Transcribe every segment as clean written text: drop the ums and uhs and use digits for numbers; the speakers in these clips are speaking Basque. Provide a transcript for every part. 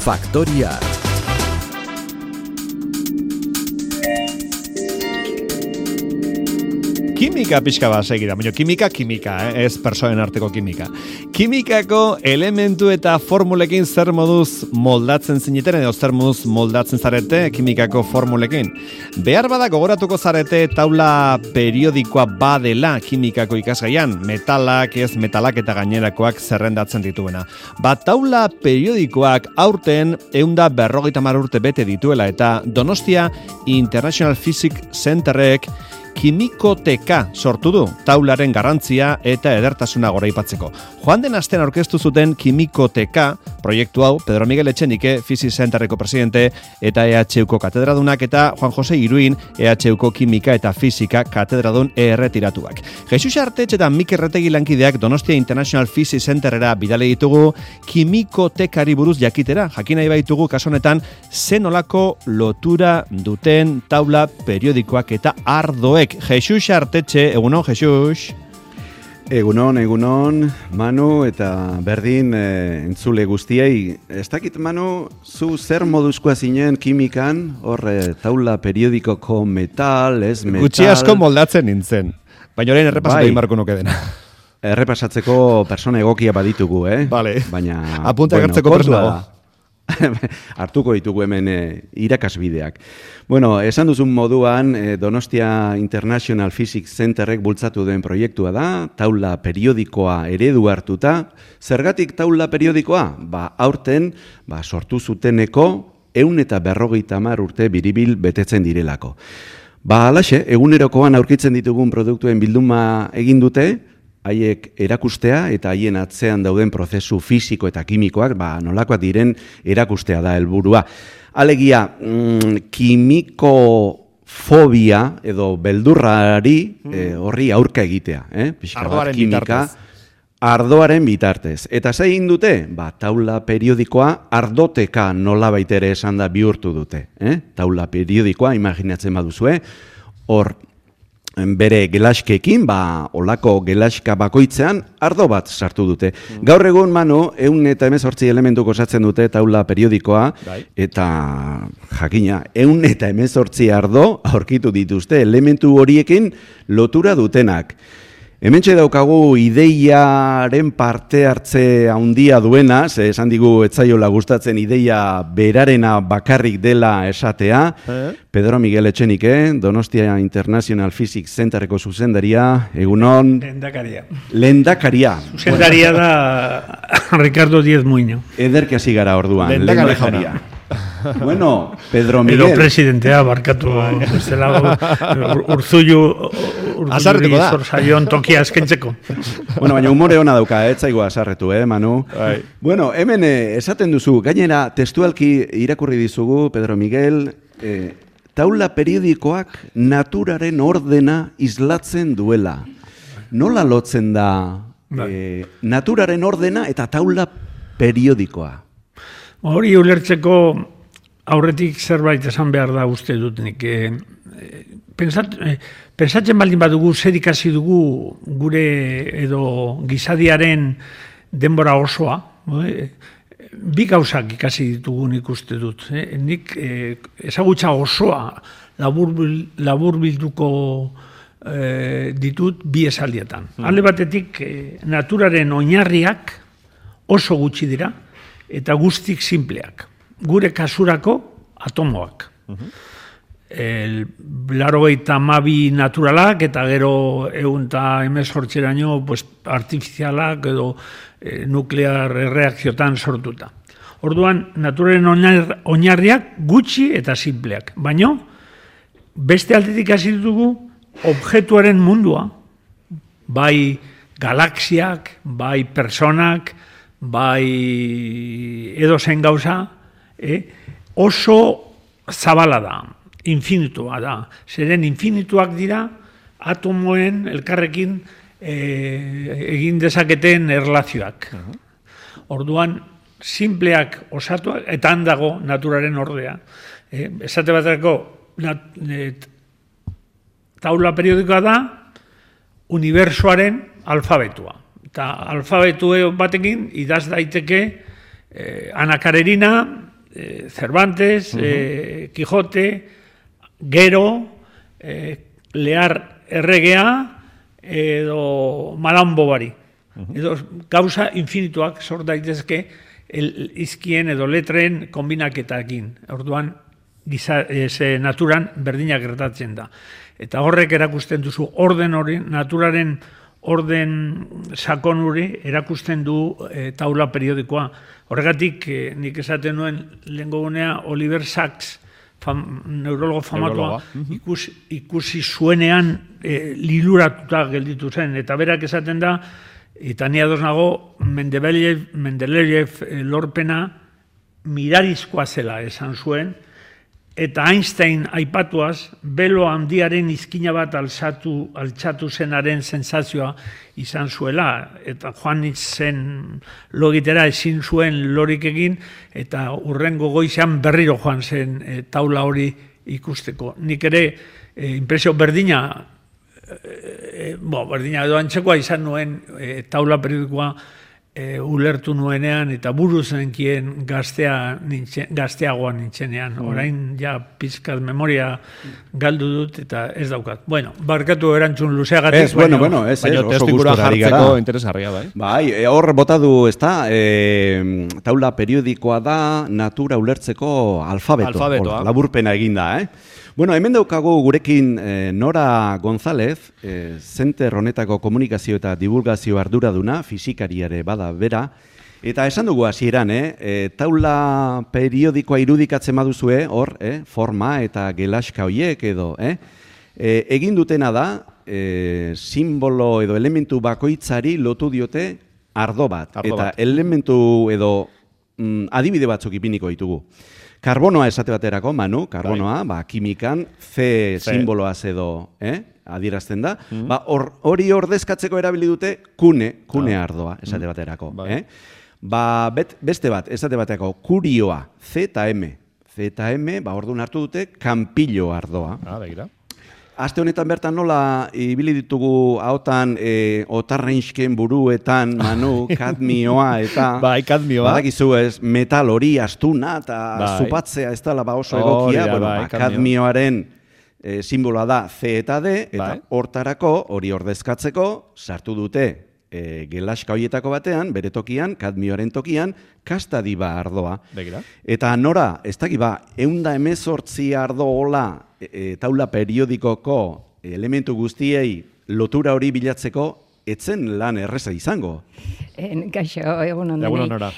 Faktoria. Kimika pixka bat segira, baina kimika, ez persoen arteko kimika. Kimikako elementu eta formulekin zer moduz moldatzen zineten, edo zer moduz moldatzen zarete kimikako formulekin. Behar bada gogoratuko zarete taula periodikoa badela kimikako ikasgaian, metalak, ez metalak eta gainerakoak zerrendatzen dituena. Taula periodikoak aurten 150 urte bete dituela eta Donostia International Physics Centerrek kimikoteka sortu du, taularen garrantzia eta edertasuna goraipatzeko. Joan den astean aurkeztu zuten kimikoteka proiektu hau Pedro Miguel Etxenike, Physics Centerreko presidente eta EHUko katedradunak eta Juan Jose Iruin, EHUko kimika eta fisika katedradun erretiratuak. Jesus Artetxe eta Mikel Retegi lankideak Donostia International Physics Centerera bidale ditugu kimikotekari buruz jakitera. Jakin nahi baitugu kasu honetan zenolako lotura duten taula periodikoak eta ardoek. Jesus Artetxe, egunon, Jesus. Egunon, Manu, eta berdin entzule guztiei. Ez dakit, Manu, zu zer moduzkoa zinen kimikan, hor taula periodikoko metal, ez metal... Gutxi asko moldatzen nintzen, baina orain errepasatu egin barko nuke dena. Errepasatzeko persona egokia baditugu, Vale. Baina... Apunta gertzeko persona. Hartuko ditugu hemen irakasbideak. Bueno, esan duzun moduan, Donostia International Physics Centerrek bultzatu den proiektua da, taula periodikoa eredu hartuta. Zergatik taula periodikoa? Aurten, sortu zuteneko 150 urte biribil betetzen direlako. Halaxe, egunerokoan aurkitzen ditugun produktuen bilduma egin dute, haiek erakustea eta haien atzean dauden prozesu fisiko eta kimikoak, nolakoak diren erakustea da helburua. Alegia, kimikofobia edo beldurrari horri aurka egitea. Ardoaren bitartez. Ardoaren bitartez. Eta ze egin dute? Taula periodikoa ardoteka nolabait ere esan da bihurtu dute. Taula periodikoa, imaginatzen baduzue, hor bere gelaskekin, olako gelaska bakoitzean ardo bat sartu dute. Gaur egun, Manu, 118 elementuko osatzen dute taula periodikoa, eta jakina, 118 ardo aurkitu dituzte elementu horiekin lotura dutenak. Hementxe daukagu ideiaren parte hartze handia duena, esan digu etzaiola gustatzen ideia berarena bakarrik dela esatea. Pedro Miguel Etxenike, Donostia International Physics Centerreko zuzendaria, egunon... Lehendakaria. Zuzendaria da Ricardo Díez Muño. Ederki hasi gara orduan, lehendakaria. Bueno, Pedro Miguel... Edo presidentea barkatu Urtzullu Zorzaion tokia eskentzeko. Bueno, baina humore ona dauka, etzaigu azarretu, Manu? Bueno, hemen esaten duzu, gainera testualki irakurri dizugu, Pedro Miguel, taula periodikoak naturaren ordena islatzen duela. Nola lotzen da naturaren ordena eta taula periodikoa? Hori ulertzeko aurretik zerbait esan behar da uste dut nik. Pensatzen baldin badugu zer ikasi dugu gure edo gizadiaren denbora osoa, bi gauzak ikasi ditugu nik uste dut. Nik ezagutza osoa labur bilduko ditut bi esaldietan. Alde batetik naturaren oinarriak oso gutxi dira, eta guztik simpleak. Gure kasurako atomoak. 82 naturalak eta gero 118 artifizialak edo nuklear erreakziotan sortuta. Orduan, naturaren oinarriak gutxi eta simpleak. Baina, beste aldetik hasi ditugu objektuaren mundua, bai galaxiak, bai personak, bai edozen gauza, oso zabala da, infinitua da. Zeren infinituak dira atomoen elkarrekin egin dezaketen erlazioak. Orduan, simpleak osatuak, eta handago naturaren ordea. Esate baterako taula periodikoa da unibertsoaren alfabetua. Eta alfabetu batekin idaz daiteke anakarerina Cervantes, Quijote, Gero, Lehar erregea, edo Madame Bovary. Edo gauza infinituak sort daitezke izkien edo letren kombinaketakin. Orduan, naturan berdinak gertatzen da. Eta horrek erakusten duzu orden hori, naturaren orden sakon hori erakusten du taula periodikoa. Horregatik, nik esaten nuen lehengo gunea Oliver Sacks, neurologo famatua, ikusi zuenean liluratuta gelditu zen. Eta berak esaten da, eta ni ados nago, Mendeleev lorpena mirarizkoa zela esan zuen, eta Einstein aipatuaz, belo handiaren izkina bat altxatu zenaren sensazioa izan zuela, eta joan zen logitera ezin zuen lorik egin, eta urrengo goizean berriro joan zen taula hori ikusteko. Nik ere, impresio berdina edo antzekoa izan nuen taula periodikoa ulertu nuenean eta buruz zenkien gazteagoan nintzenean. Orain ja pizkat memoria galdu dut eta ez daukat. Bueno, barkatu erantzun luzeagatik. Baina testu ingurua jartzeko interesgarria, bai? Bai, hor bota du, ez da, taula periodikoa da natura ulertzeko alfabetoa. Laburpena eginda, Bueno, hemen daukagu gurekin Nora González, Center honetako komunikazio eta divulgazio arduraduna, fisikariare bada bera, eta esan dugu hasieran, taula periodikoa irudikatzen baduzue, hor, forma eta gelaska hoiek edo, egin dutena da, simbolo edo elementu bakoitzari lotu diote ardo bat. Eta elementu edo adibide batzuk ipiniko ditugu. Karbonoa esate baterako, Manu, karbonoa, kimikan, C simboloaz edo adierazten da, hori ordezkatzeko erabili dute kune ardoa esate baterako. Beste bat, esate baterako, kurioa, C eta M. C eta M, orduan hartu dute, kanpillo ardoa. Aste honetan bertan nola ibili ditugu hautan otarrensken buruetan, Manu, kadmioa eta... kadmioa. Badakizu ez, metal hori astuna eta zupatzea ez dela oso egokia. Kadmioaren simboloa da C eta D, eta hortarako hori ordezkatzeko sartu dute gelaska hoietako batean, bere tokian, kadmioaren tokian, kastadiba ardoa. Eta Nora, ez dakiba, 118 ardo hola taula periodikoko elementu guztiei lotura hori bilatzeko, etzen lan erreza izango. Gaixo, egun ondenei.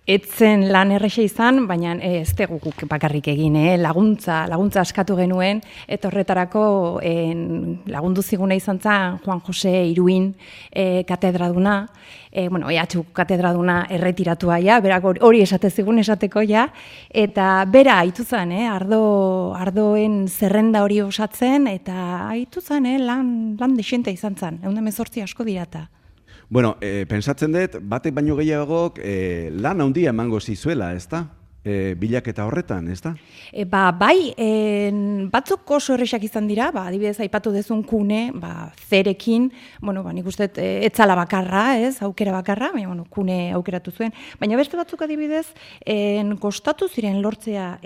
Etzen lan erresa izan, baina ez teguk bakarrik egin, laguntza askatu genuen, eta horretarako lagundu ziguna izan zen Juan Jose Iruin katedraduna, EHU katedraduna erretiratua ja, berak hori esate zigun esateko ja, eta bera haitu zen, ardoen zerrenda hori osatzen, eta haitu zen, lan desienta izan zen, 118 asko dirata. Bueno, pensatzen dut, batek baino gehiagok lan handia emango zizuela, ez da? Bilaketa horretan, ez da? Bai, batzuk oso erresak izan dira, adibidez aipatu dezun kune, zerekin, nik uste etzala bakarra, aukera bakarra, baina kune aukeratu zuen, baina beste batzuk adibidez, kostatu ziren lortzea,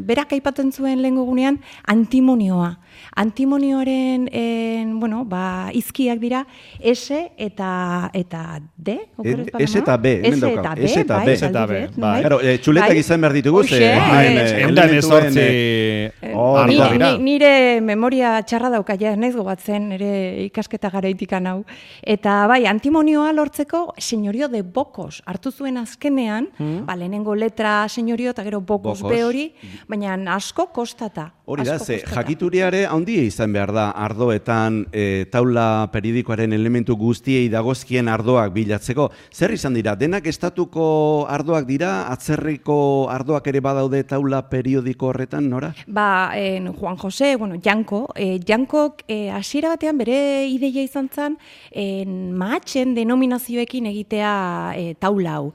berak aipatzen zuen lehengo gunean, antimonioa. Antimonioaren, izkiak dira, S eta D, S eta B, hemen daukau. S eta B, bai. Txuletak izan behar ditugu, nire memoria txarra dauka, ja, naiz gobatzen, nire ikasketa garaitikan hau. Eta bai, antimonioa lortzeko senyorio de Bokos hartu zuen azkenean, lehenengo letra senyorio eta gero Bokos B hori, baina asko kostata. Hori da, jakituriare handia izan behar da ardoetan taula periodikoaren elementu guztiei dagozkien ardoak bilatzeko. Zer izan dira, denak estatuko ardoak dira, atzerriko ardoak ere badaude taula periodiko horretan, Nora? Juan Jose, Jankok hasiera batean bere ideia izan zen mahatzen denominazioekin egitea taula hau.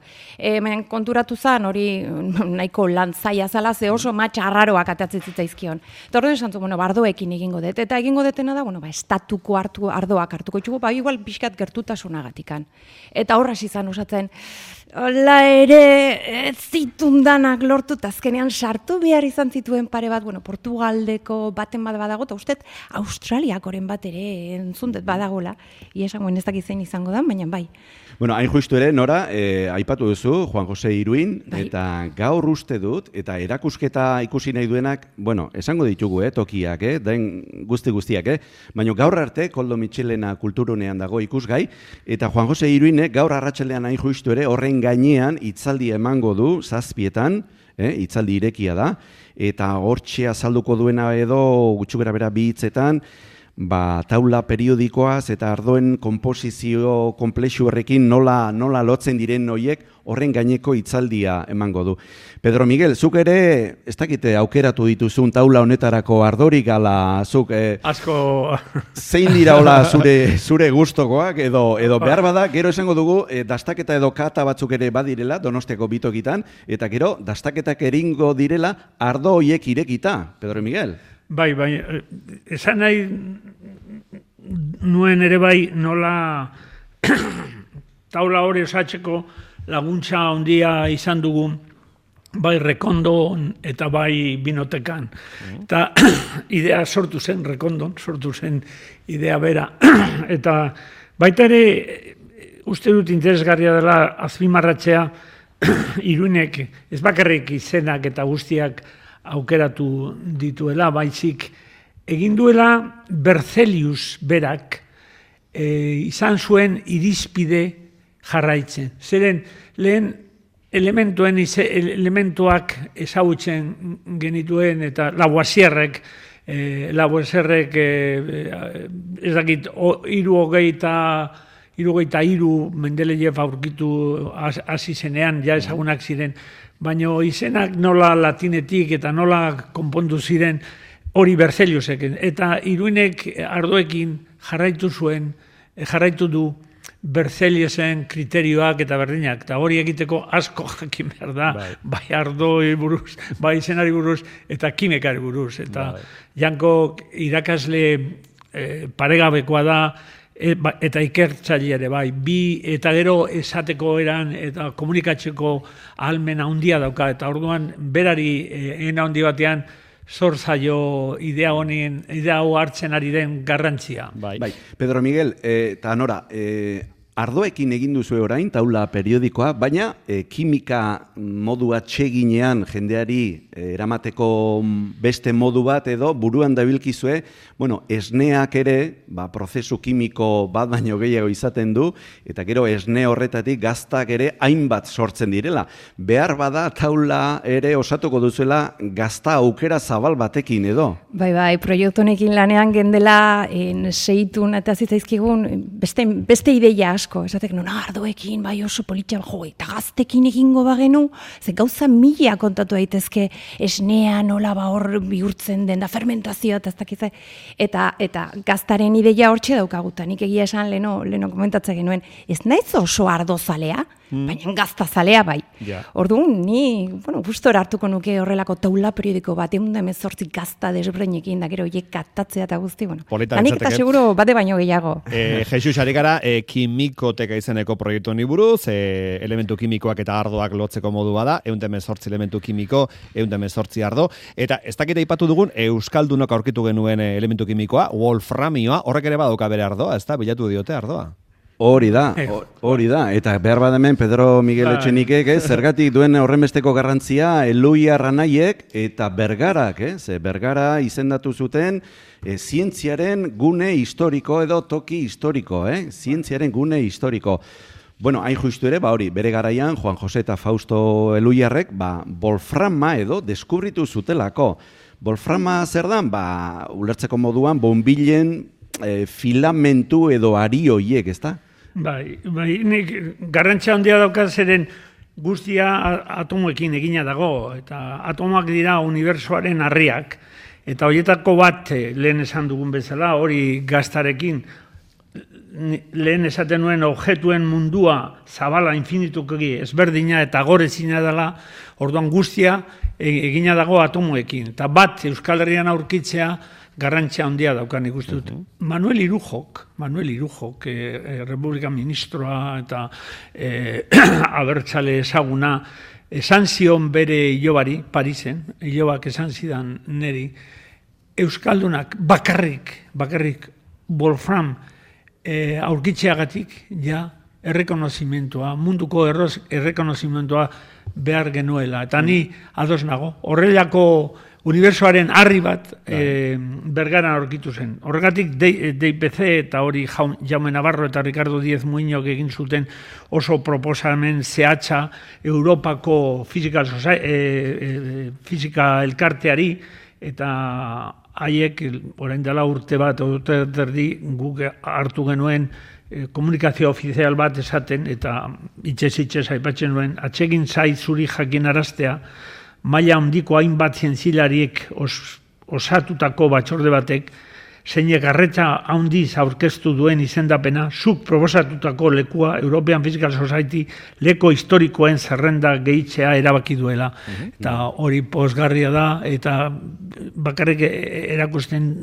Konturatu zen, hori nahiko lan zaila zala, ze oso mahatsa arraroak atatzen zitzaizkion. Eta hori esan zu, ardoekin egingo dut. Eta egingo dutena da, estatuko ardoak hartuko txugu, igual pixkat gertutasunagatikan. Eta horraz izan osatzen, Hola ere, ez zitundanak lortu, azkenean sartu behar izan zituen pare bat, Portugaldeko baten bat badago, eta uste Australiakoren bat ere entzundet badagola, iesangoen ez dakit zein izango da, baina bai. Bueno, hain justu ere, Nora, aipatu duzu, Juan Jose Iruin, eta gaur uste dut, eta erakusketa ikusi nahi duenak, esango ditugu, tokiak, den guztiak, baina gaur arte, Koldo Mitxelena kulturunean dago ikusgai, eta Juan Jose Iruinek gaur arratsaldean hain justu ere, horren gainean hitzaldi emango du, 7:00, hitzaldi irekia da, eta hortxe azalduko duena edo, gutxugera bera 2 hitzetan, taula periodikoaz eta ardoen konposizio konplexu horrekin nola lotzen diren noiek horren gaineko hitzaldia emango du. Pedro Miguel, zuk ere, ez dakite aukeratu dituzun taula honetarako ardorik ala zuk... Asko... Zein dira hola zure gustokoak edo behar bada, gero esango dugu, dastaketa edo kata batzuk ere badirela, Donostiako bitokitan, eta gero dastaketak eringo direla ardo hoiek irekita, Pedro Miguel. Bai, esan nahi nuen ere bai nola taula hori osatzeko laguntza handia izan dugu bai Rekondon eta bai Binotekan. Eta idea sortu zen Rekondon, sortu zen idea bera. Eta baita ere uste dut interesgarria dela azpimarratzea Iruinek ez bakarrik izenak eta guztiak aukeratu dituela, baizik egin duela Berzelius berak izan zuen irizpide jarraitzen. Zeren lehen elementuak ezagutzen genituen eta Lavoisierrek ez dakit 73 Mendelejev aurkitu hasi zenean, ja ezagunak ziren, baina izenak nola latinetik eta nola konpondu ziren hori Berzeliusek. Eta Iruinek ardoekin jarraitu du Berzeliusen kriterioak eta berdinak. Eta hori egiteko asko jakin behar da, bai ardoi buruz, bai izenari buruz eta kimekari buruz. Eta Janko irakasle paregabekoa da, eta ikertzaile ere bai, eta gero esateko eran eta komunikatzeko ahalmena handia dauka, eta orduan berari handi batean zor zaio idea hau hartzen ari den garrantzia. Bai. Pedro Miguel, eta Nora, ardoekin egin duzu orain, taula periodikoa, baina kimika modu atseginean jendeari eramateko beste modu bat edo buruan dabilkizue, esneak ere, prozesu kimiko bat baino gehiago izaten du, eta gero esne horretatik gaztak ere hainbat sortzen direla. Behar bada taula ere osatuko duzuela gazta aukera zabal batekin edo? Bai, proiektu honekin lanean gendela seitun eta zitzaizkigun beste ideia asko, esatek ardoekin, bai oso politia, eta gaztekin egingo bagenu, ze gauza mila kontatu daitezke esnea nola hor bihurtzen den da fermentazioa eta ez dakize, eta gaztaren ideia hortxe daukaguta, nik egia esan leno komentatzen genuen, ez naiz oso ardozalea, baina gaztazalea bai. Orduan, ni, gustora hartuko nuke horrelako taula periodiko bat, 118 gazta desbreinekin, da gero hiek katatzea eta guzti, Hanik eta seguro bate baino gehiago. Jesus, ari gara, kimikoteka izeneko proiektu honi buruz, elementu kimikoak eta ardoak lotzeko modu bada, 118 elementu kimiko, 118 ardo, eta ez dakita aipatu dugun, euskaldunok aurkitu genuen elementu kimikoa, wolframioa, horrek ere badauka bere ardoa, ez da, bilatu diote ardoa. Hori da, eta behar badamen Pedro Miguel Etxenikek, zergatik duen horrenbesteko garrantzia, Eloia Ranaiek eta Bergarak, Bergara izendatu zuten zientziaren gune historiko edo toki historiko, zientziaren gune historiko. Hain justu ere, hori, bere garaian, Juan Jose eta Fausto Eluiarrek, wolframa edo deskubritu zutelako. Wolframa zer dan, ulertzeko moduan, bonbilen filamentu edo ari hoiek, ez da? Bai, nik garrantzia handia dauka zeren guztia atomoekin egina dago, eta atomoak dira unibertsoaren harriak, eta horietako bat lehen esan dugun bezala, hori gaztarekin lehen esaten nuen objektuen mundua zabala infinituki ezberdina eta gorezina dela, orduan guztia egina dago atomoekin. Eta bat Euskal Herrian aurkitzea garrantzia handia daukan ikuste dut. Manuel Irujok, Republika Ministroa eta abertzale ezaguna, esan zion bere ilobari, Parisen, ilobak esan zidan neri, Euskaldunak bakarrik Wolfram aurkitzeagatik ja errekonozimentua, munduko errekonozimentua behar genuela. Eta ni ados nago. Horrelako unibertsoaren harri bat Bergaran aurkitu zen. Horregatik DIPC eta hori Jaume Navarro eta Ricardo Díez Muñoz egin zuten oso proposamen zehatza Europako fizika elkarteari, eta haiek orain dela urte bat, urte erdi guk hartu genuen komunikazio ofizial bat esaten, eta itxez aipatzen nuen, atsegin zait zuri jakinaraztea, maila handiko hainbat zientzilariek osatutako batzorde batek, zeinek arretza handiz aurkeztu duen izendapena, zuk proposatutako lekua European Physical Society leko historikoen zerrenda gehitzea erabaki duela. Eta hori pozgarria da, eta bakarrik erakusten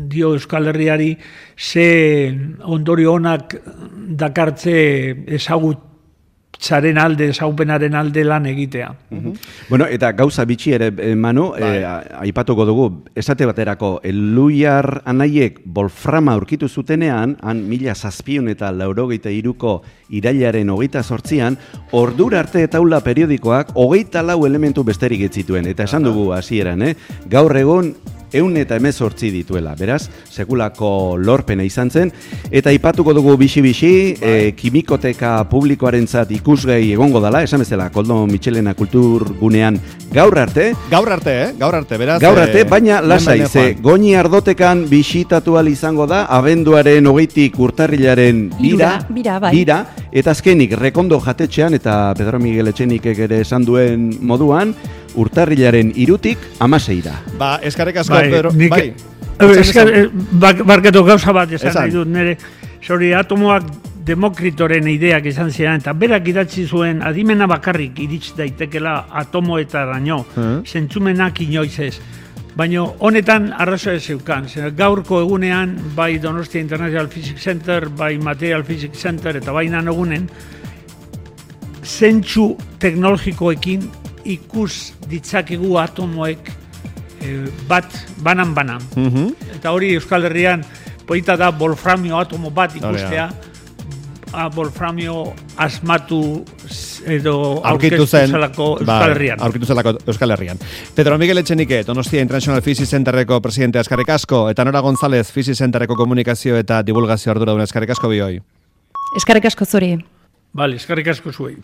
dio Euskal Herriari ze ondorio onak dakartze ezagutzaren alde, ezagupenaren alde lan egitea. Bueno, eta gauza bitxi ere, Manu, aipatuko dugu, esate baterako, Eluiar anaiek Wolframa aurkitu zutenean, han 1783ko irailaren 28an, ordura arte taula periodikoak 24 elementu besterik ez zituen, eta esan dugu hasieran, gaur egun 118 dituela, beraz, sekulako lorpena izan zen, eta aipatuko dugu bixi-bixi, kimikoteka publikoarentzat ikusgai egongo dela, esan bezala, Koldo Mitxelena kulturgunean gaur arte, beraz. Gaur arte, baina lasai, ze Goñi Ardotekan bisitatu ahal izango da, abenduaren 20tik urtarrilaren bira, eta azkenik Rekondo jatetxean, eta Pedro Miguel Etxenikek ere esan duen moduan, urtarrilaren 3tik 16ra. Ba, eskarek asko, Pedro. Barkatu gauza bat esan nahi dut nire. Zori, atomoak Demokritoren ideak izan ziren, eta berak idatzi zuen adimena bakarrik iritz daitekela atomoetaraino, zentzumenak inoiz ez. Baina honetan arrazoa zeukan. Gaurko egunean, bai Donostia International Physics Center, bai Material Physics Center, eta bai Nanogunen, zentzu teknologikoekin ikus ditzakegu atomoek bat banan. Eta hori Euskal Herrian polita da wolframio atomo bat ikustea, wolframio asmatu edo aurkitu zelako Euskal Herrian. Euskal Herrian. Pedro Miguel Etxenike, Donostia International Physics Centerreko presidente, eskerrik asko, eta Nora González, Physics Centerreko komunikazio eta divulgazio arduradun, eskerrik asko bioi. Eskerrik asko zuri. Bale, eskerrik asko zuei.